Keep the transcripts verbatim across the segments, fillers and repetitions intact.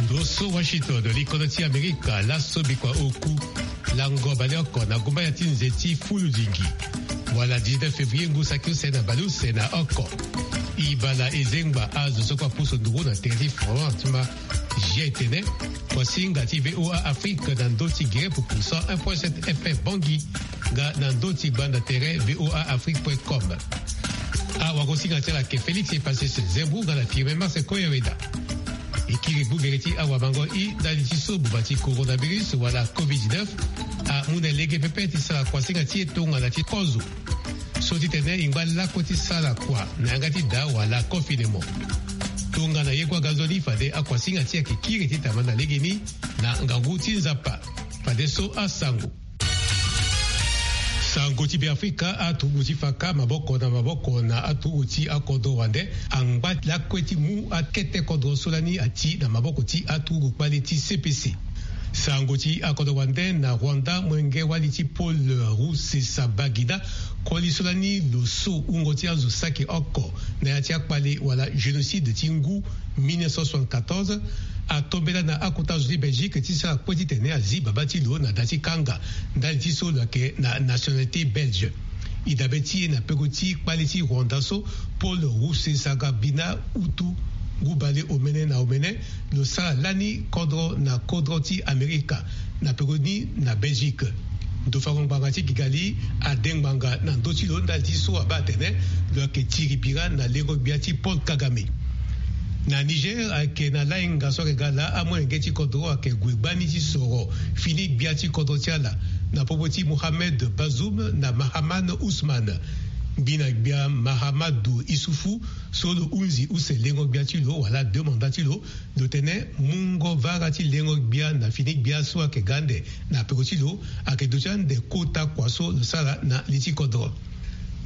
Ndo so Washington, likolo ti Amerika, laso bikua oku lango baleoko na gumbaya ti nze ti fulu lingi, wala dix-neuf février ngu saki use na baleuse na oko. E bala e zengba azo so kue apusu nduru na tere ti Front ma G I tene, kuasinga ti V O A Afrique na ndö ti gere pupu cent un point sept F M Bangui, nga na ndö ti gbanda tere V O A Afrique point com. Awagosinga ti ala ayeke Félix Epassese Zembou nga na Firmin Marcel Koyaweda. E kiri gbu gere ti awamango i ndali ti so buba ti coronavirus wala covid dix-neuf amu na lege pepe ti sara kuasinga ti e tongana ti kozo. So ti tene e ngba lakue ti sara kua na yanga ti daa wala confinement. Tongana ye kue aga nzoni fade akuasinga ti e ayeke kiri titene ama na legeni na ngangu ti Nzapa. Fadeso asango. Sango ti Beafrika, aturugu ti faka maboko na maboko na aturugu ti akodro wande angba lakue ti mu akete kodro so lani ati na maboko ti aturugu kpale ti C P C. Sango ti akodro wande na Rwanda, molenge wali ti Paul Rusesabagina, koli so lani lo so wungo ti azo saki oko na ya ti akpale wala génocide ti ngu mille neuf cent soixante-quatorze, atombela na akota zo ti Belgique ti sara kue titene azi baba ti lo na da ti kanga ndali ti so lo yeke na nationalité belge. E dabe ti e na peko ti kpale ti Rwanda so, Paul Rusesabagina, utu ngu bale omene na omene, lo sara lani kodro na kodro ti Amerika na peko ni na Belgique. Ndo fango ngbanga ti Kigali ade ngbanga na ndö ti lo ndali ti so abaa atene lo yeke tiri bira na lengo gbia ti Paul Kagame. Na Niger, ayeke na lainga so ayeke ga laa amolenge ti kodro ayeke gue gbani ti soro fini gbia ti kodro ti ala na popo ti Mohamed Bazoum na Mahaman Ousmane. Mbi na gbia Mahamadou Issoufou so lo hunzi use lengo gbia ti lo wala deux mandats ti lo, lo tene mungo vara ti lengo gbia na fini gbia so ayeke ga ande na peko ti lo ayeke duti ande kota kua so lo sara na li ti kodro.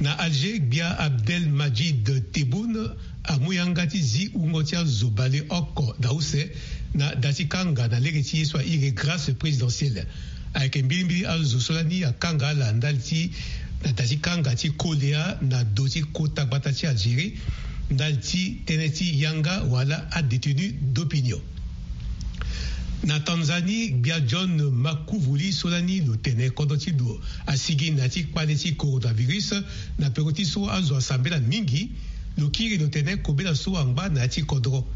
Na Alger, gbia Abdelmadjid Tebboune amu yanga ti zi wungo ti azo baleoko na use na da ti kanga na lege ti ye so airi grâce présidentielle. Ayeke mbilimbili azo so lani akanga ala ndali ti na da ti kanga ti kolea na do ti kota gbata ti Algérie ndali ti tënë ti yanga wala adétenu d'opinion. Na Tanzanie, gbia John Makuvuli so lani lo tene kodro ti lo asigi na ya ti kpale ti coronavirus na peko ti so azo asambela mingi, lo kiri lo tene kobela so angba na ya ti kodro.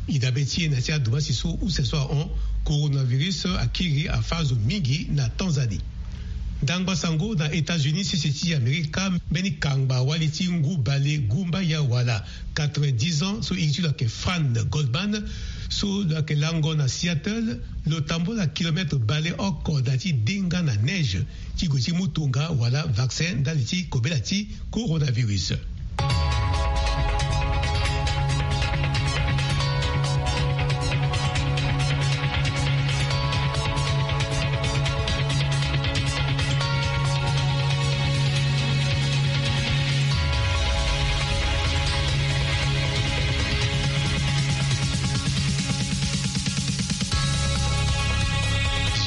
E dabe ti e na ya ti adomasi so use so ahon, coronavirus akiri afâ azo mingi na Tanzanie. Ndangba sango na États-Unis, sese ti Amerika, mbeni kangba wali ti ngu bale gumbaya wala quatre-vingt-dix ans so iri ti lo ayeke Fran Goldman, so lo yeke lango na Seattle, lo tambola kilomètre baleoko na ya ti denga na neige ti gue ti mu tonga wala vaccin ndali ti kobela ti coronavirus.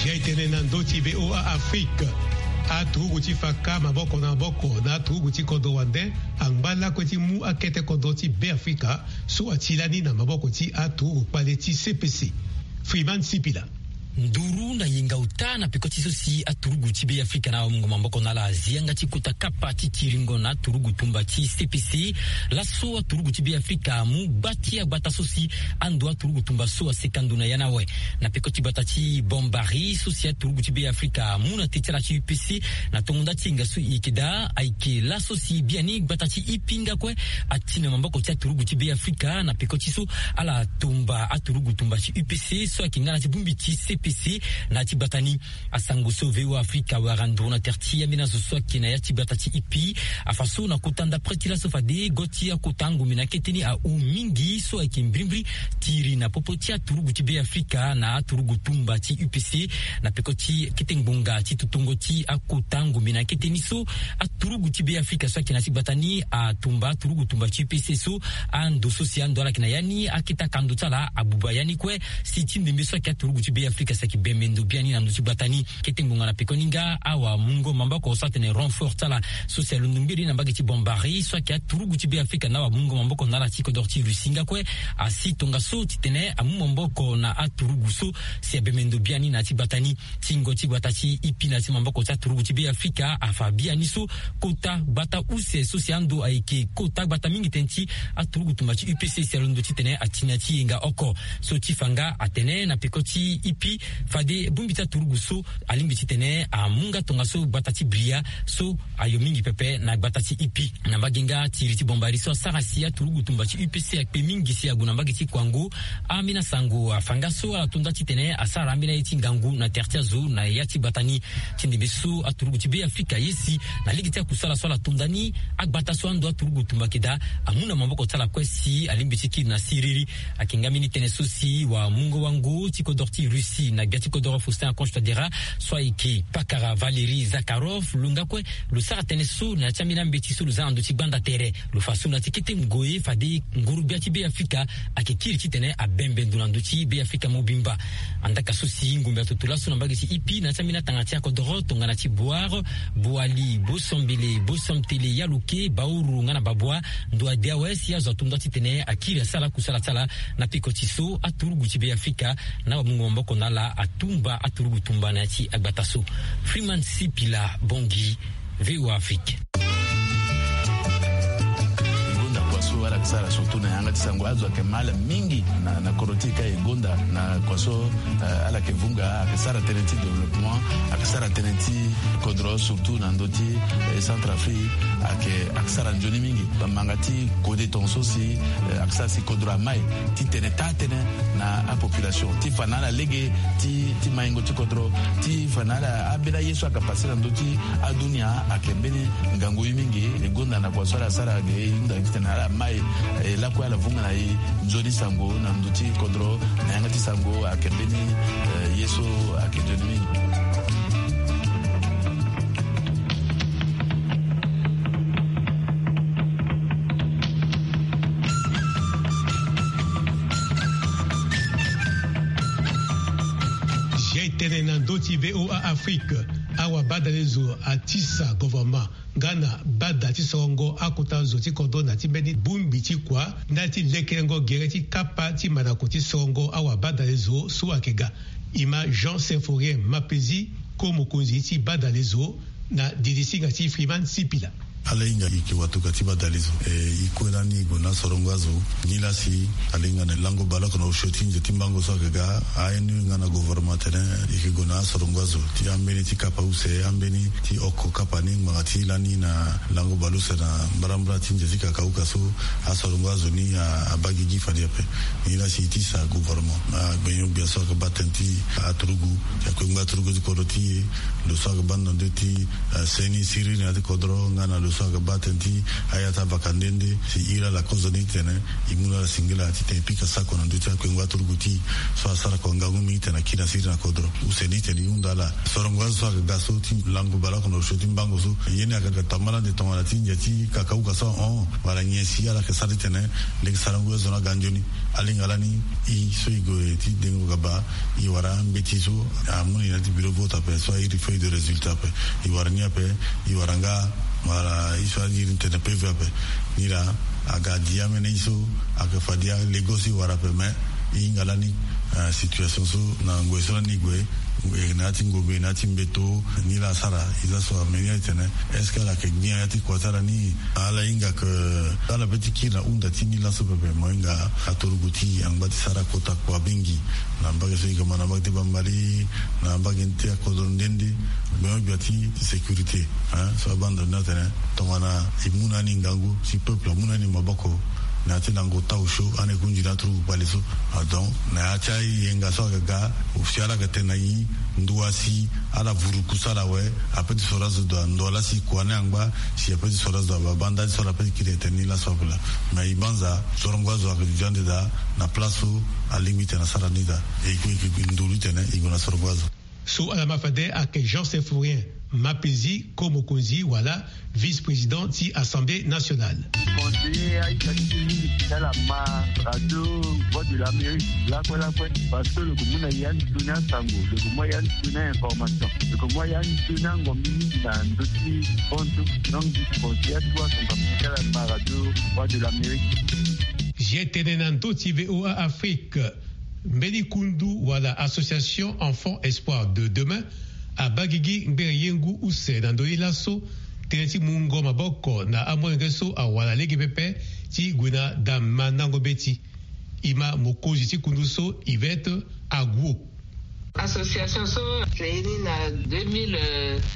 Zi aye tene na ndö ti V O A Afrique. Aturugu ti faka maboko na maboko na aturugu ti kodro wande angba lakue ti mu akete kodro ti Beafrika so ati lani na maboko ti aturugu kpale ti C P C. Freeman Sipila. Nduru na yenga ota na peko ti so si aturugu ti Beafrika na amungo maboko na ala azi yanga ti kota kapa ti tiringo na aturugu tumba ti C P C. Laso aturugu ti Beafrika amu gba ti agbata so si ando aturugu tumba so aseka ndo na ya ni awe. Na peko ti gbata ti Bombari so si aturugu ti Beafrika amu na te ti ala ti U P C na tongo nda ti yenga so e yeke daa, ayeke laso si biani gbata ti Ipinga kue ati na maboko ti aturugu ti Beafrika na peko ti so ala tumba aturugu tumba ti U P C so ayeke nga na ti bongbi ti C P C na ya ti gbata ni. Asango so V O A Afrika awara nduru na tere ti ambeni azo so ayeke na ya ti gbata ti Ipi afa so na kota ndapre ti laso fade go ti akota ngombe na kete ni ahon mingi so ayeke mbirimbiri ti iri na popo ti aturugu ti Beafrika na aturugu tumba ti U P C na peko ti kete ngbonga ti tutungo ti akota ngombe na kete ni so aturugu ti Beafrika so ayeke na ya ti gbata ni atumba aturugu tumba ti U P C so ando so si ando ala yeke na ya ni akete akando ti ala abuba ya ni kue si ti ndembe so ayeke aturugu ti Beafrika Saki bembe ndo biani na ndö ti gbata ni. Kete ngbonga na pekoni nga awamungo maboko so atene renfort ti ala so si alondo mbiri na mbage ti Bombari so ayeke aturugu ti Be Afrika na awamungo maboko na ala ti kodoro ti Russie nga kue asi tongaso titene amu maboko na aturugu so si abembe ndo biani na ya ti gbata ni. Tingo ti gbata ti ipi na ya ti maboko ti aturugu ti Be Afrika afa biani so kota gbata use so si ando ayeke kota gbata mingi tënë ti aturugu tumba ti U P C si alondo titene ati na ya ti yenga oko. So ti fa nga atene na peko ti ipi fade bongbi ti aturugu so alingbi titene amu nga tongaso gbata ti Bria so ayo mingi pepe na gbata ti ipi. Na mbage nga ti iri ti Bombari so asara si aturugu tumba ti U P C akpe mingi si ague na mbage ti Kwango. Ambeni asango afa nga so ala to nda titene asara ambeni aye ti ngangu na tere ti azo na ya ti gbata ni. Ti ndembe so aturugu ti Be Afrika aye si na lege ti akusala so ala to nda ni, agbata so ando aturugu tumba ayeke daa amu na maboko ti ala kue si alingbi ti kiri na siriri. Ayeke nga mbeni tënë so si wamungo wango ti kodoro ti Russie na gbia ti kodoro Faustin Archange Touadéra so ayeke pakara Valéry Zakharov lo nga kue lo sara tënë so na ya ti ambeni ambeti so lo za na ndö ti gbanda tere. Lo fa so na ya ti kete ngoi fade nguru-gbia ti Be Afrika ayeke kiri titene abembe ndo na ndö ti Be Afrika mobimba. Andaka so si ngombe atoto laso na mbage ti ipi na ya ti ambeni atanga ti akodoro tongana ti Bouar, Boali, Bosombele, Bosontele, Yaluke, Baourou nga na Baboua, ndo ade awe si azo ato nda titene akiri asara kusala ti ala na peko ti so aturugu ti Be Afrika na wamungo maboko na ala atumba aturugu tumba na ya ti agbata so. Freeman Sipila, Bangui, V O A Afrique. E gonda kua so ala yeke sara surtout na yanga ti sango, azo ayeke mal mingi na, na kodro ti e ka e gonda na kua so, eh, ala yeke vunga, ayeke sara tënë ti développement, ayeke sara tënë ti kodro surtout na ndö ti, eh, Centrafrique, ayeke, ayeke sara nzoni mingi. Bamanga ti kode tongaso si, eh, ayeke sara si kodro amai ti tene taa tënë na apopulation ti fa na ala lege ti, ti maingo ti kodro, ti fa na ala ambeni aye so ayeke pase na ndö ti adunia ayeke mbeni ngangu ye mingi. E gonda na kua so ala sara ge e hunda titene ala mai, e lakue ala vunga na e nzoni sango na ndö ti kodro na yanga ti sango ayeke mbeni, eh, ye so ayeke nzoni mingi. Zia e tene na ndö ti V O A Afrique, awabadalezo atisa gouvernement nga na bada ti sorongo akota zo ti kodro na ti mbeni bongbi ti kua ndali ti lekerengo gere ti kapa ti mandako ti sorongo awabadalezo so ayeke ga. E ma Jean Symphorien Mapezi, ko mokonzi ti badalezo, na didisinga ti Freeman Sipila. Ala hinga e yeke watuka ti badalezo, e, e kue lani e gue na asorongo azo. Nilaa si ala hinga na lango baleoko na osio ti nze ti mbango so ayeke ga, a-N U nga na gouvernement atene e yeke gue na asorongo azo ti ambeni ti kapa use, ambeni ti oko kapa ni ngbanga ti lani na lango baleuse na mbarambara ti nze ti kakauka so asorongo azo ni a, abaa gigi fade ape. Nilaa si e tisa gouvernement, agbenyo-gbia so ayeke baa tënë ti aturugu, ti akue ngba aturugu ti kodro ti e, lo so ayeke baa na ndö ti, eh, seni siriri na ya ti kodro nga na lo so ayeke baa tënë ti aya ti abaka nde nde, si iri ala kozo ni titene e mu na ala singila titene e pika sako na ndö ti akue ngba aturugu ti e so asara kua ngangu mingi titene aki na siriri na kodro. Use ni titene e hunda ala sorongo azo so ayeke ga so ti lango baleoko na osio ti mbango so, ye ni ayeke ga tambala ande tongana ti ndia ti kakauka so ahon wala nyen si ala yeke sara titene lege sarango azo ni aga nzoni. Ala hinga lani e so e gue ti dengo gaba, e wara ambeti so amu na e na ya ti bureau vote ape so a iri feuille de résultat ape. E wara ni ape, e wara nga wala e so a iri tene P V ape. Nilaa aga dia ambeni ye so ayeke fadia lego so e wara ape, mais e hinga lani, eh, situation so na ngoi so lani e gue, e na ya ti ngombe, na ya ti mbeto, nilaa asara. E za so amenio e tene est-ce que ala yeke gbia ya ti kua ti ala ni? Ala hinga ke ala pe ti kiri na hunda ti ni laso pepe. Mo hinga aturugu ti e angba ti sara kota kua mingi na mbage so e yeke ma na mbage ti Bambari, na mbage ti akodro nde nde. Gbenyo-gbia ti sécurité, hein, so abaa ndo ni atene tongana e mu na ni ngangu, si peuple amu na ni maboko na ya ti lango ota osio, ande e kunzi na aturugu kpale so. Ah, donc na ya ti ayenga so ayeke ga, si ala yeke tene na e ndua si ala vuru kusala awe, ape ti soro azo dua, ndo laa si kua ni angba, si ape ti soro azo dua, babaa ndali so ala pe ti kiri tene ni laso ape laa. Mais e banza sorongo azo ayeke duti ande daa na place so alingbi titene asara ni daa. E yeke nduru titene e gue na sorongo azo. So ala ma fade ayeke Jean Symphorien Mapezi, ko mokonzi wala vice-président ti Assemblée nationale. Conseiller aita ti ti mingi ti ala ma radio Voix de l'Amérique lakue lakue, parce que lo yeke mu na ya ni toni asango, lo yeke mu ya ni toni a-information, lo yeke mu ya ni toni angombi mingi na ndö ti konso. Donc conseiller atu asango ti ala ma radio Voix de l'Amérique. G tene na ndö ti V O A Afrique. Mbeni kundu wala association Enfant Espoir de Demain abaa gigi ngbene yengu use na ndö ni laso, tënë ti mungo maboko na amolenge so awara lege pepe ti gue na da mandango mbeti. E ma mokonzi ti kundu so, Yvette Aguo. Association so créé ni na deux mille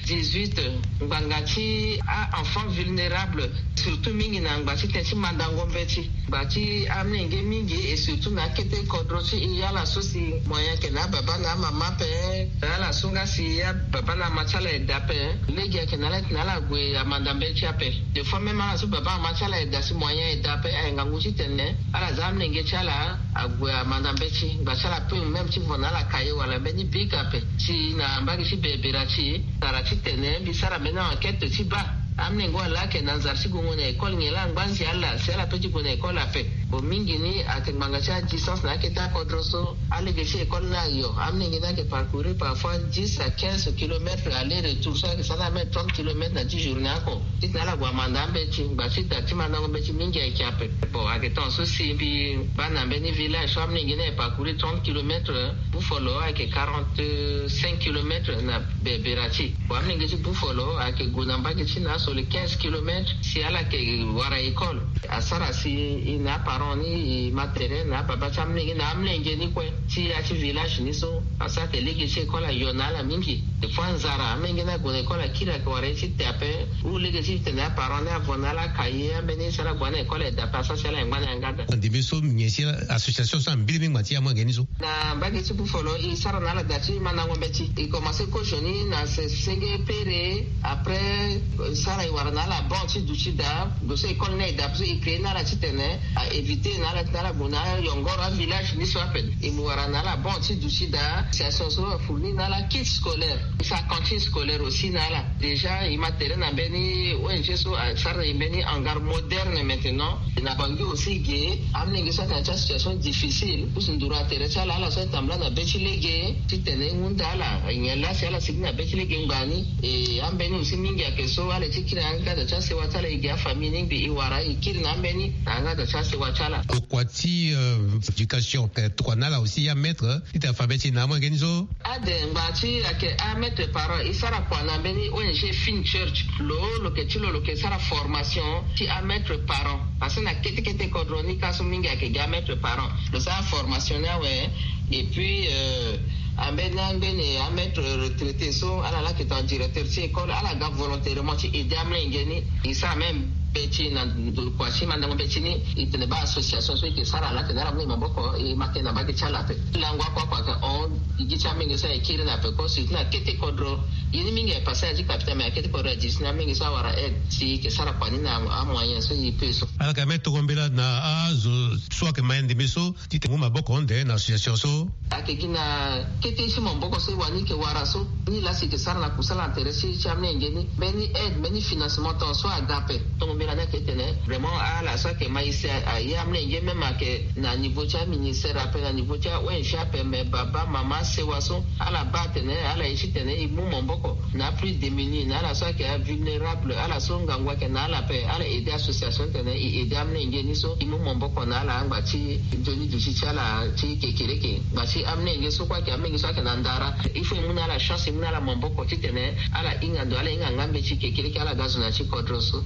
dix-huit, ngbanga ti a-enfant vulnérable, surtout mingi na ngba ti tënë ti mandango mbeti, ngba ti amolenge mingi, et surtout na akete kodro ti e, ala so si moyen ayeke na ababa na amama ape, ala so nga si ababa na ama ti ala eda ape, lege ayeke na ala ti tene ala gue amanda mbeti ape. Des fois même ala so baba ama ti ala eda si moyen eda ape, aye ngangu ti tene ala za amolenge ti ala ague amanda mbeti, ngba ti ala peut même ti vo na ala cahier wala mbeni bic ape. Si na mbage ti bebera ti e, tara ti tene mbi sara mbeni enquête ti baa amolenge wala ayeke na nzara ti gue na école nyen laa, angba nzi ala si ala peut ti gue na école ape. Bon, mingi ni ayeke ngbanga ti adistance na akete akodro so. Alege ti école ni ayo, amolenge ni ayeke parcourir parfois dix à quinze kilomètres aller retour, so ayeke sara na même trente kilomètres na ti journée oko. Titene ala gue amanda ambeti, ngba ti da ti mandango mbeti mingi ayeke ape. Bon, ayeke tongaso si mbi baa na mbeni village so amolenge ni ayeke parcourir trente kilomètres, Buffalo ayeke quarante-cinq kilomètres na bebera ti e. Bon, amolenge ti Buffalo ayeke gue na mbage ti na so le quinze kilomètres si ala yeke wara école. Asara si e na aparent ni e ma tere na ababa ti amolenge na amolenge ni kue ti ya ti village ni so, asara eke lege ti école ayo na ala mingi. Des fois nzara, amolenge ni ague na école akiri, ayeke wara ye ti te ape. Ou lege ti tene aparent ni avo na ala cahier, ambeni si ala gue na école eda ape, asara si ala yangba na yanga daa. Ndembe so nyen si association so ambiri mbeni ngba ti amolenge ni so? Na mbage ti Buffalo e sara na ala da ti mandango mbeti. E commencé kozoni na se- senge pere. Après, e sara e wara na ala banc ti duti daa. Gue so école ni eda ape so e créé na ala titene a éviter na ala titene ala gue na ayongoro avillage ni so ape. E mu wara na ala banc ti duti daa. Association so afournir na ala kit scolaire. E sara cantine scolaire aussi na ala. Déjà e ma tere na mbeni O N G so asara na e mbeni hangar moderne maintenant. Na Bangui aussi ge, amolenge so ayeke na ya ti association difficile, pusu nduru atere ti ala, ala so atambula na be ti lege titene e hunda ala nyen laa si ala sigi na be ti lege ngbani. E ambeni aussi mingi ayeke so ala ye ti kiri na yanga da ti asewa ti ala, e ge afamille ni ngbi e wara e kiri na ambeni na yanga da ti asewa ti ala. Tokua ti, euh, éducation, euh, tokua na ala aussi ya maître, euh, titene afa be ti e na amolenge ni so. Ade, ngba ti ayeke amaître parent, e sara kua na mbeni O N G Fin Church. Lo lo yeke ti lo lo yeke sara formation ti amaître parent. Parce que na kete kete kodro ni ka so mingi ayeke gi amaître parent. Lo sara formation ni awe. Et puis, euh, ambeni angbene amaître retraité so ala laa ayeke tongana directeur ti école, ala ga volontairement ti aider amolenge ni. E sara même be ti na ndokua ti mandango be ti ni, e tene baa association so e yeke sara laa atene ala mu na e maboko, e ma tene na mbage ti ala ape. Lango oko oko ayeke hon, e gi ti amolenge so ayeke kiri na ape ko, surtout na kete kodro. Ye ni mingi ayeke passé na ya ti capital, mais na kete kodro ayeke gi ti na amolenge so awara aide si e yeke sara kua ni na amoyen so e peut so. Ala yeke même toro mbela na azo so ayeke ma ye ndembe so titene e mu maboko ande na association so. Ayeke gi na kete ti maboko so e wani yeke wara so. Ni laa si e yeke sara na kusala na tere ti ti amolenge ni, mbeni aide, mbeni financement tongaso aga ape. Tongo mbela ni ayeke tene vraiment ala so ayeke ma e si aye amolenge, même ayeke na niveau ti aministère ape, na niveau ti a-O N G ape, mais baba, mama, asewa so ala baa atene ala ye titene e mu maboko na plus démunis, na ala so ayeke avulnérable, ala so ngangu ayeke na ala ape, ala aider association titene e aider amolenge ni so e mu maboko na ala angba ti nzoni duti ti ala ti kekereke. Ngba ti amolenge so kue ayeke amolenge so ayeke na ndara, il faut e mu na ala chance, e mu na ala maboko titene ala hinga ndo, ala hinga nga mbeti kekereke, ala ga zo na ya ti kodro so.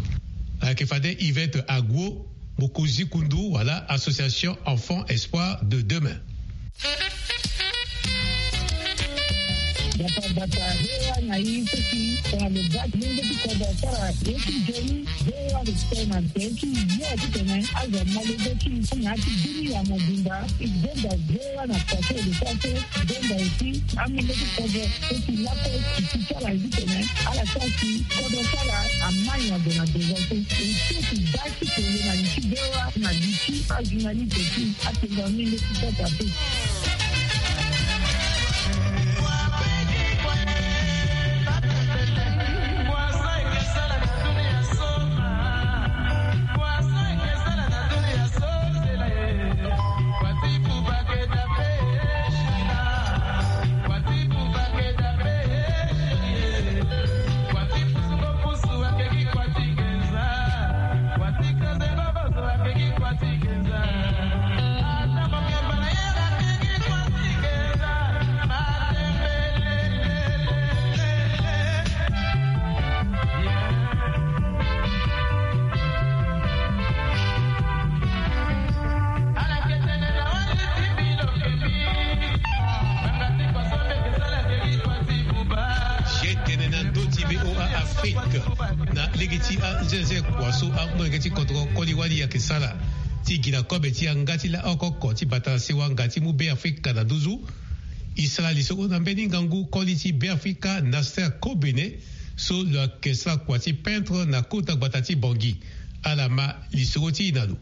Ayeke fade Yvette Aguo, mokonzi kundu wala association Enfant Espoir de Demain. Bata bata, V O A na e so si tongana lo baa ti lenge ti kodro asara ye ti nzoni, V O A lo tene na tere ti yo titene azo amolenge ti e na ya ti bini ya mobimba. E gonda V O A na pase lo sara so, gonda aussi amolenge ti kodro so si lakue e ti ti ala titene ala sara si kodro ti ala amai na gue na devant so. E so ti baa ti kele na li ti V O A na li ti ajournaliste ti atenga mingi ti sasa pe. Lege ti anzenze kua so amolenge ti kodro koli wali ayeke sara ti gi na kobe ti yanga ti laoko oko ti bata na sewa nga ti mu Beafrika na nduzu. E sara lisoro na mbeni ngangu koli ti Beafrika Nasser Kobene so lo yeke sara kua ti peintre na kota gbata ti Bangui. Ala ma lisoro ti e na lo.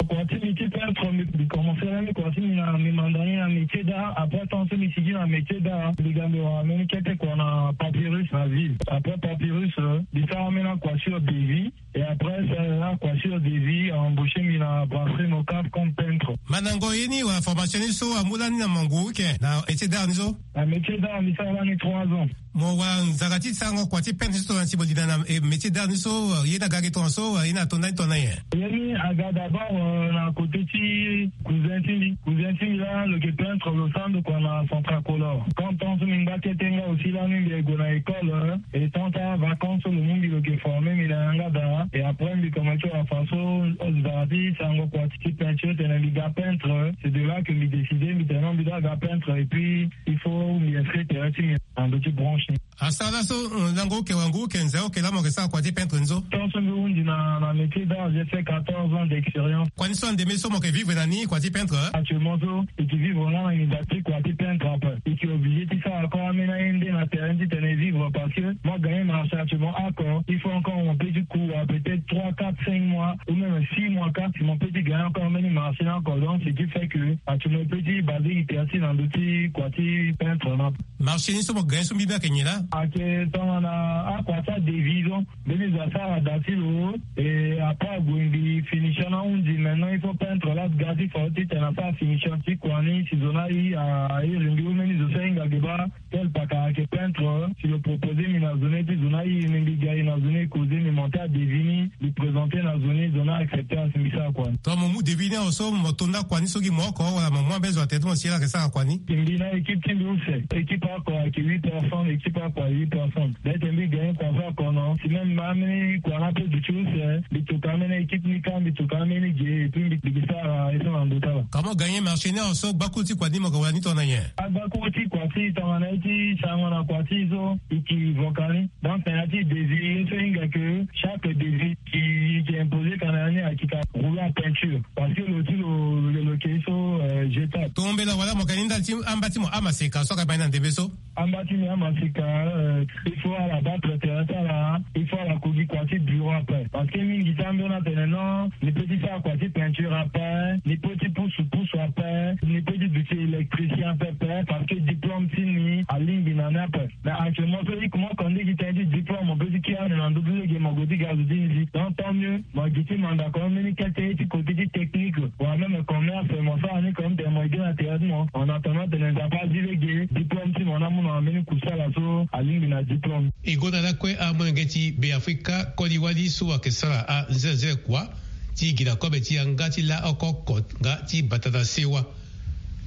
Kua ti mbi ti peintre, mbi, mbi commencé lani kua ti mbi na, mbi manda ni na métier d'art. Après temps so mbi sigi na métier d'art, mbi ga mbi wara mbeni kete kua na Papyrus na ville. Après Papyrus, euh, mbi sara ambeni akua sur devis. Et après, ça, akua sur devis a embauché mbi na brasserie Mocaf comme peintre. Mandango ye ni wala formation ni so amu lani na mangu ke na métier d'art ni so? Na métier d'art mbi sara lani trois ans. Mo wara nzara ti sarango kua ti peintre ni so tongana si mo linda na, eh, métier d'art ni so, eh, ye ni aga gi tongana so, eh, ye ni ato ndani tongana nyen? Ye ni aga d'abord, euh, na côté ti cousin ti mbi. Cousin ti mbi laa lo yeke peintre, lo sara ndo kua na Centracolor. Quand temps so mbi ngba kete nga aussi lani mbi gue na école, euh, et tant ti avacance so lo mu mbi lo yeke former mbi na yanga daa. Et après mbi commencé wara façon, euh, nzara ti sarango kua ti peinture titene mbi ga peintre. C'est de là que mbi décidé mbi tene non mbi doit ga peintre et puis il faut mbi inscrire tere ti mbi na ndö ti branche ni. Asara laso, euh, lango oke wangu oke nze oke laa mo yeke sara kua ti peintre ni so? Tant so mbi hundi na, na métier d'art, j'ai fait quatorze ans d'expérience. Kua ni so andeme so mo yeke vivre na ni kua ti peintre? Actuellement so, e yeke vivre nga na nginza ti kua ti peintre ape. E yeke obligé ti sara encore ambeni aye nde na terrain titene e vivre parce que mo gagné marché actuellement oko. Il faut encore mon petit coup, euh, peut-être trois, quatre, cinq mois ou même six mois, quatre, si mon petit gagne encore ambeni marché ni oko. Donc, ce qui fait que actuellement, petit basé, il était assis dans le petit kua ti peintre na. Marché ni so mo gagné so mbi mbi ayeke nyen laa? Ayeke tongana akua ti adevis so. Mbeni zo asara da ti lo. Et après ague mbi finition ahundi, maintenant il faut peintre laa ga ti fao titene asara finition ti kua ni si zo ni aye, a iri mbi. Mbeni zo so ahinga ge baa tel paka ayeke peintre. Si lo proposé mbi na zo ni ti zo ni aye, mbi ga e na zo ni e causé, mbi monté adevis ni. Mbi présenté na zo ni, zo ni a accepté asi mbi sara kua ni. Tongana mo mu devis ni awe so mo to nda kua ni so gi mo oko wala mo mu ambeni zo atene ti mo si ye laa ayeke sara kua ni? Mbi na équipe ti mbi use, équipe oko ayeke huit personnes, équipe oko ayeke huit personnes. Peut-être mbi gagné kua so oko non. Si même ambeni kua ni ape duti use, mbi tuka ambeni équipe ni ka, mbi tuka ambeni ge, et puis mbi, mbi sara ye so na ndo ti ala. Comment gagné marché ni awe so gbakuru ti kua ni mo yeke wara ni tongana nyen? Agbakuru ti kua ti tongana ye ti sarango na kua ti so e yeke voka ni. Donc tena ti devis ye so e hinga ke chaque devis ki, ki imposé kana ni ayeke ka rouleau à peinture. Parce que lo ti lo, lo, lo yeke so, euh, jetable. Tombela wala mo yeke ni ndali ti amba ti mo amaseka so ayeke baa ni na ndembe so? Amba ti mbi amaseka, euh, il faut ala battre terrain ti ala, il faut ala ko gi kua ti bureau ape. Parce que mingi ti ambeni atene non, ni peut ti sara kua ti peinture ape, ni peut ti pusu pusu ape, ni peut ti duti électricien ape, parce que diplôme ti ni alingbi na ni ape. Mais actuellement so i kuma oko nde gi tënë ti diplôme, mo peut ti kiri ande na ndö ti lege mo gue ti ga zo ti nzi. Donc tant mieux, mo gi ti mandako mbeni kete ti côté ti technique wala même commerce, mo sara ni comme tene mo gue na tere ti mo. En attendant tene Nzapa azi lege diplôme ti mo ni amu na mbeni kusala so alingbi na diplôme. E gonda lakue amolenge ti Beafrika koli wali so ayeke sara anzenze kua ti gi na kobe ti yanga ti laoko oko nga ti bata na sewa.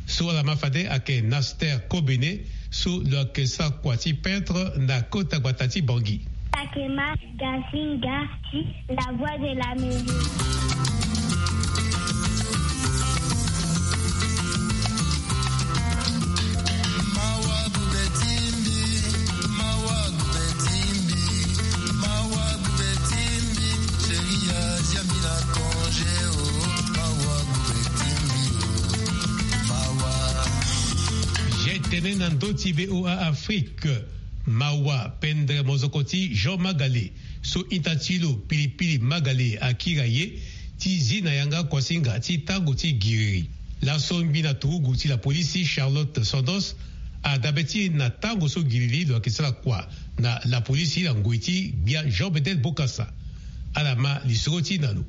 So ala ma fade ayeke Naster Kobene, so lo yeke sara kua ti peintre na kota gbata ti Bangui. Takema Gasinga ti La Voix de l'Amérique. Tene na ndö ti V O A Afrique. Mawa pendere mozoko ti Jean Magale, so ita ti lo Pilipili Magale, akiri aye ti zi na yanga kuasinga ti tango ti giriri. Laso ngbi na turugu ti lapolisi Charlotte Sandos adabe ti na tango so giriri lo yeke sara kua na lapolisi na ngoi ti gbia Jean Bedel Bokassa. Ala ma lisoro ti na lo.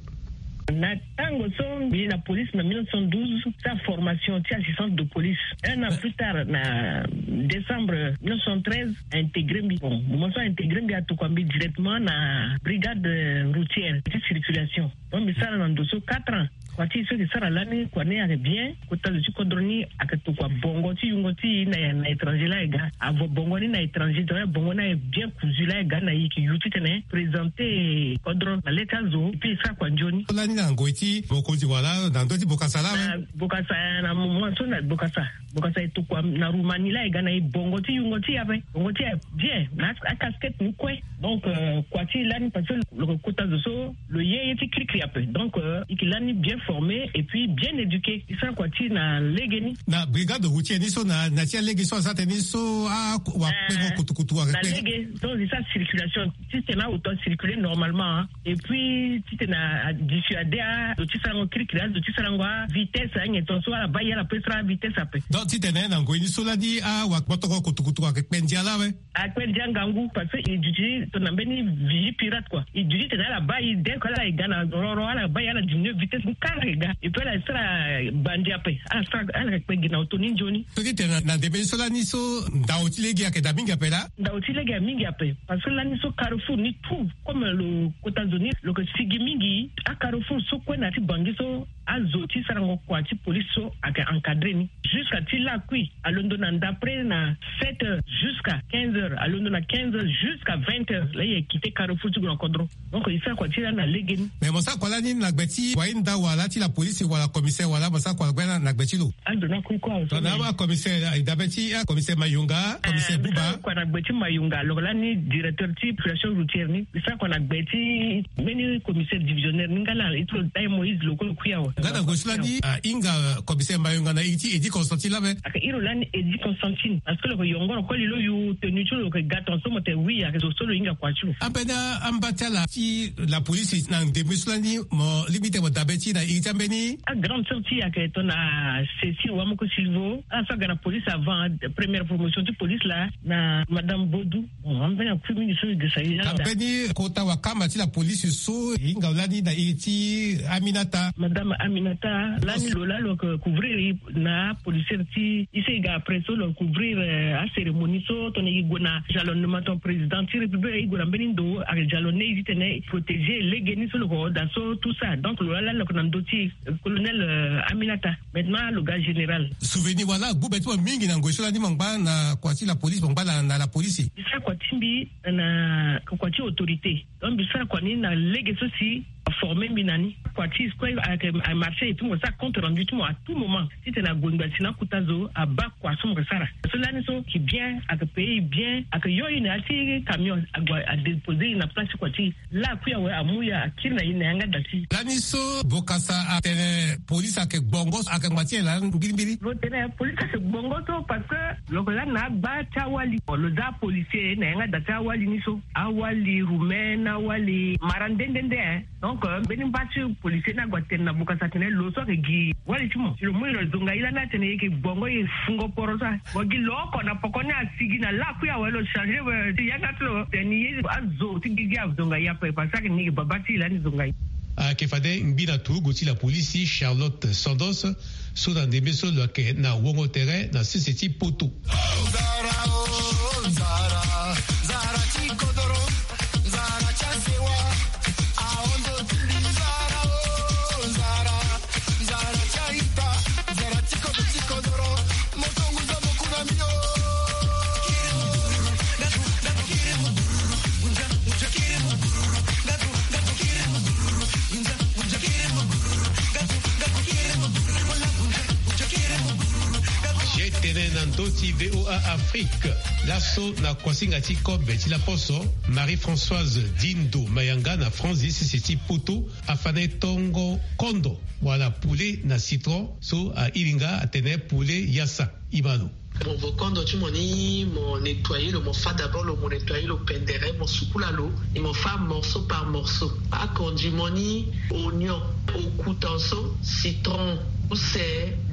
Na tango so mbi na police na mille neuf cent douze, sa formation ti assistante de police. Un an plus tard, na décembre mille neuf cent treize, a intégré mbi. Bon, moment so a intégré mbi, atokua mbi directement na brigade, euh, routière ti circulation. Donc mbi sara na ndo so quatre ans. Kua ti e so e ke sara lani kua ni ayeke bien. Kota zo ti kodro ni ayeke tokua bongo ti yungo ti e na, na étranger laa e ga. Avo bongo ni na étranger, tongana bongo ni aye bien kuzu laa e ga na e, e yeke yu titene présenter kodro na le ti azo. Epui e sara kua nzoni. Lani na ngoi ti mokonzi wala na ndö ti Bokassa laa awe? Na Bokassa, na moment so na Bokassa. Bokassa e tokua na Roumanie laa e ga na e bongo ti yungo ti e ape. Bongo ti e aye bien na a, a casquette ni kue. Donc, euh, kua ti e lani parce que lo ke kota zo so lo ye ye ti kirikiri ape. Donc, euh, e ke lani bien formé et puis bien éduqué. E sara kua ti e na lege ni. Na brigade routière ni so na, na ti alege so asara tënë ni so, ah, wakpengo kutukutu ayeke kpe. Na lege, donc e sara circulation. Titene aoto acirculer normalement, hein. Et puis titene adissuader azo ti sarango kirikiri, azo ti sarango avitesse, anyen tongaso ala baa e ala pe sara avitesse ape. Donc titene na ngoi ni so lani, ah, wakpotoko kutukutu ayeke kpe ndia laa awe? Akpe ndia ngangu, parce que e duti tongana mbeni vigie pirate, quoi. E duti titene ala baa e dès que ala ye ga na roro, ala baa e ala diminuer vitesse ni kara e ga. Et puis ala sara bandi ape. Ala sara, ala yeke kpe gi na oto ni nzoni. So titene na ndembe ni so lani so ndao ti lege ayeke daa mingi ape laa? Ndao ti lege aye mingi ape. Parce que lani so carrefour ni tout, comme lo kota zo ni lo yeke sigi mingi, a carrefour so kue na ya ti Bangui so azo ti sarango kua ti police so ayeke encadrer ni. Jusqu'à ti lakui alondo na, d'après na sept heures jusqu'à quinze heures, alondo na quinze heures jusqu'à vingt heures laa e yeke quitter carrefour ti gue na kodro. Donc e sara kua ti e lani na lege ni. Mais mo sara kua lani na gbe ti wahinda wala ti la police wala commissaire wala mo sara kua lani na gbe ti lo? Ando na kui kua. Tongana commissaire, e dabe ti, ah, commissaire Mayunga, commissaire Buba. Kua na gbe ti Mayunga, lo lani directeur ti population routière ni. E sara kua na gbe ti mbeni commissaire divisionnaire ni nga laa, e ti lo Dai Moïse Lokolo Kuyawa. Nga na ngoi so lani, ah, e hinga, euh, commissaire Mayunga na iri ti Eddy Constantine laa ape? Ayeke iri lani Eddy Constantine. Parce que lo yeke yongoro koli lo yu tenue ti lo, lo yeke ga tongaso mo tene oui, ayeke zo so lo hinga kua ti lo. Ambeni amba ti ala ti la police na ndembe so lani mo lingbi tene mo dabe ti e na iri ti ambeni? Agrande sœur ti e ayeke tongana Cécile Wamoko Silvo. Ala so aga na police avant, première promotion ti police laa, na madame Bodou. Bon, ambeni akui mingi so e gesa e laa. Ambeni kota wakamba ti la police so e hinga lani na iri ti Aminata. Madame Aminata, lani lo laa lo yeke couvrir e na policière ti e so e ga après so lo couvrir, euh, acérémonie so tongana e gue na jalonnement ti président ti république, e gue na mbeni ndo, ayeke jalonné e titene e protéger lege ni so lo yeke hoo daa so, tout ça. Donc lo laa lani lo yeke na ndö ti e, colonel, euh, Aminata. Maintenant lo ga général. Souvenir wala agbu be ti mo mingi na ngoi so lani mo ngba na kua ti la police, mo ngba na, na la police? E sara kua ti mbi na kua ti autorité. Donc mbi sara kua ni na lege so si aformer mbi na ni. Kua ti e so kue ayeke amarcher et puis mo sara compte rendu ti mo à tout moment. Titene ague ngbasi na akota zo abaa kua so mo yeke sara. So lani so ayeke bien, ayeke payer e bien, ayeke yo e na ya ti camion, ague adéposer e na place ti kua ti e. Lakui awe amu e akiri na e na yanga da ti e. Lani so Bokassa atene police ayeke gbongo so, ayeke ngba ti nyen laa mbirimbiri? Lo tene police ayeke gbongo so parce que lo yeke lani na agba ti awali. Lo za policier na yanga da ti awali ni so. Awali roumain, awali mara nde nde nde, hein. Donc, euh, mbeni mba ti policier ni ague atene na Bokassa atene lo so ayeke gi wali ti mo. Si lo mu e lo zonga e lani atene e yeke gbongo, e fungo poro so. Mo gi lo oko na poko ni asigi na lakui awe lo changer, euh, ti yanga ti lo. Tene e azo ti gigi azonga e ape parce que ni e baba ti e lani zonga e. Ayeke fade ngbi na turugu ti la police Charlotte Sandos, so na ndembe so lo yeke na wongo tere na sese ti poto. Ye tene na ndö ti V O A Afrique. Laso na kuasinga ti kobe ti laposo, Marie-Françoise Dindo Mayanga na Francis sese ti poto afa na e tongo kondo wala poulet na citron so airi nga atene poulet yassa. Imano. Mo vo kondo ti mo ni, mo nettoyer lo, mo fa d'abord lo, mo nettoyer lo pendere, mo sukula lo, e mo fa morceau par morceau. Akondi mo ni, oignon, okutanso, citron, use,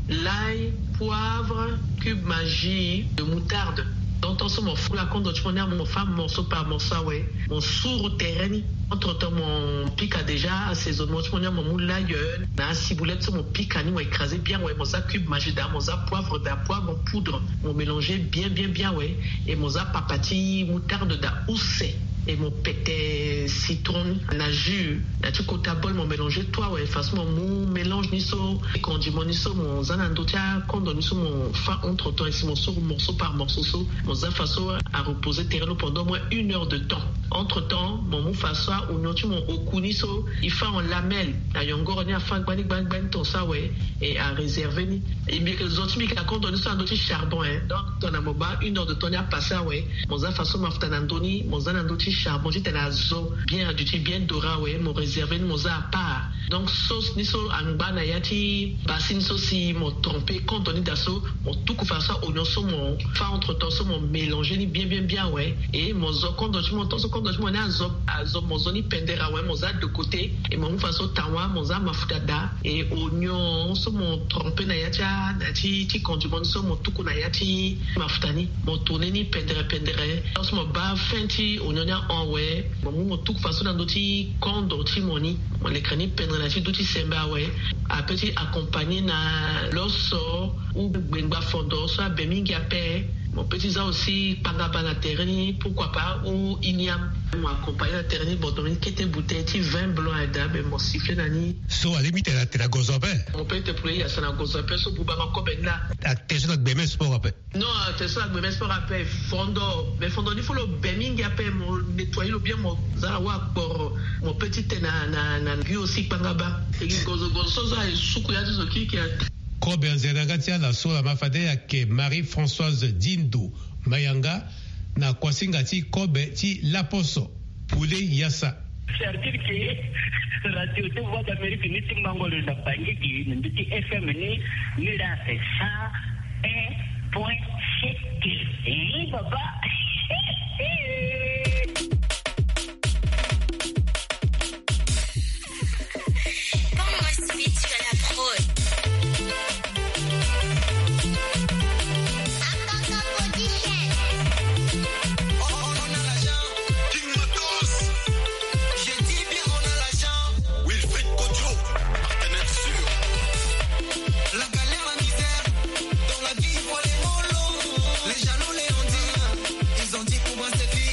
l'ail, poivre, cube Maggi, de moutarde. Donc tongaso mo fukula kondo ti mo ni, mo fa morceau par morceau awe. Mo suru tere ni. Entre temps mo pika déjà assaisonnement ti mo ni, mo mu l'ail na ciboulette so mo pika ni, mo écraser bien awe, mo za cube Maggi daa, mo za poivre daa, poivre en poudre, mo mélanger bien bien bien awe. Et mo za papa ti moutarde daa, use. Et mo pete citron na jus na ti kota bol, mo mélanger tout awe. Façon mo mu mélange ni so, condiment ni so, mo za na ndö ti akondo ni so, mo fa entre temps, et si mo soro morceau par morceau so, mo za façon a reposer tere lo pendant au moins une heure de temps. Entre temps, mo mu façon a oignon ti mo, oku ni so, il fait en lamelle na yongoro ni, afa gbani gbani gbani ton so awe. Et a réserver ni. E mbi yeke zo ti mbi yeke na kondo ni so na ndö ti charbon, hein. Donc tongana mo baa une heure de temps ni apasser awe, mo za façon mafuta na ndö ni, mo za na ndö ti charbon titene azo bien, aduti bien doré awe, mo réserver ni, mo za à part. Donc sauce ni so angba na ya ti bassine so, si mo tremper kondo ni daa so, mo tuku façon a oignon so, mo fa entre temps so, mo mélanger ni bien bien bien awe. Et mo zo kondo ti mo, tant so kondo ti mo ni azo, azo, mo zo ni pendere awe, mo za de côté. Et mo mu façon tawa, mo za mafuta daa. Et oignon so mo tremper na ya ti a, na ti, ti condiment ni so, mo tuku na ya ti mafuta ni, mo tourner ni pendere pendere. Tant so mo baa fin ti oignon ni ahon awe, mo mu mo tuku façon na ndö ti kondo ti mo ni, mo leke ni pendere na ti dö ti sembe awe. Ape ti accompagner na loso ou gbengba fondo so abe mingi ape. Mo peut ti za aussi kpangaba na tere ni, pourquoi pas, ou igname. Mo accompagner na tere ni, mo donner ni kete bouteille ti vin blanc aye daa, mais mo siffler na ni. So alingbi tene atene agozo ape. Mo peut ti poulet yasa na gozo ape so buba ma kobe ni laa. Atene so na gbeme sport ape. Non, atene so na gbeme sport ape, fondo. Mais fondo ni faut lo be mingi ape, mo nettoyer lo bien, mo za na wa kporo. Mo peut ti tene na, na, na gi aussi kpangaba. E gi gozo, gozo so aye suku ya ti zo kirikiri. Kobe anzere na yanga ti ala so laa ma fade ayeke Marie-Françoise Dindo Mayanga, na kuasinga ti kobe ti laposo, poulet yassa. C'est-à-dire que radio ti Voix d'Amérique ni ti mango lo na Bangui gi na ndö ti F M ni, ni laa c'est cent un point sept. Eh, papa. Bangos Beats sur la prod. Bangos Production. On a l'argent, King Matos. Je dis bien, on a l'argent. Wilfried Kodjo, partenaire sûr. La galère, la misère, dans la vie, il faut les mollo. Les jaloux, les ondits, ils ont dit pour moi c'est fini.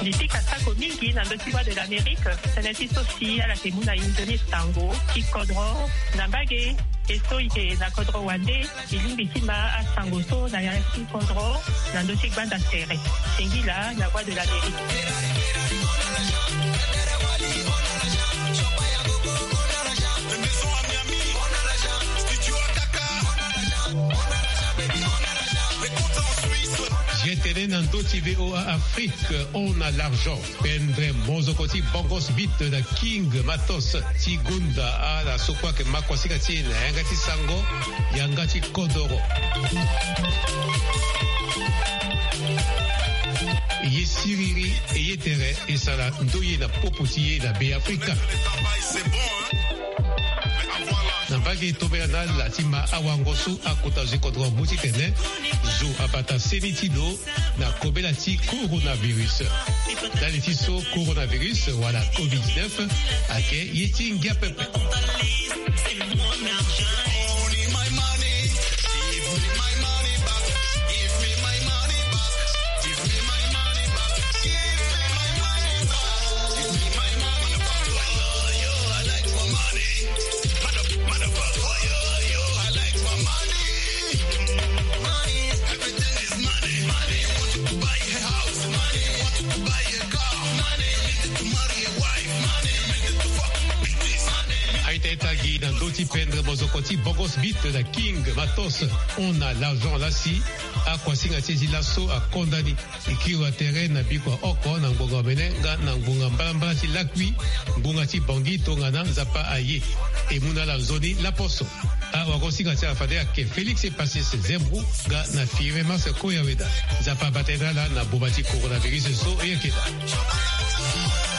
Mbi pika sako mingi na ndö ti Voix de l'Amérique. Tënë ti so si ala yeke mu na e nzoni sango ti kodro na mbage. E so e yeke na kodro wande, e lingbi ti ma asango so na ya ti kodro na ndö ti gbanda tere. Singila na Voix de l'Amérique. G T N na ndö ti V O A Afrique, on a l'argent. Pendre mozoko ti Bongos Beat na King Matos ti gonda ala so kue ayeke ma kuasinga ti e na yanga ti sango, yanga ti kodoro. E ye siriri, e ye tere, e sara ndoye na popo ti e na Beafrika. Na mbage tombela na ala ti ma awango so akota zo ti kodro amu titene zo abata seni ti lo na kobela ti coronavirus. Ndali ti so coronavirus wala covid dix-neuf ayeke ye ti ngia pepe. Aita ita gi na ndö ti pendre mozoko ti Bongos Beat na King Matos, on a l'argent laa si akuasinga ti e ti laso akonda ni. E kiri wa tere na bikua oko na ngbonga omene nga na ngbonga mbalambala ti lakui, ngbonga ti Bangui tongana Nzapa aye. E mu na ala nzoni laposo. Awagosinga ti ala fade ayeke Félix Epasis Zembro nga na Firmin Marcel Koyaweda. Nzapa abata ye na ala na boma ti coronavirus so e yeke daa.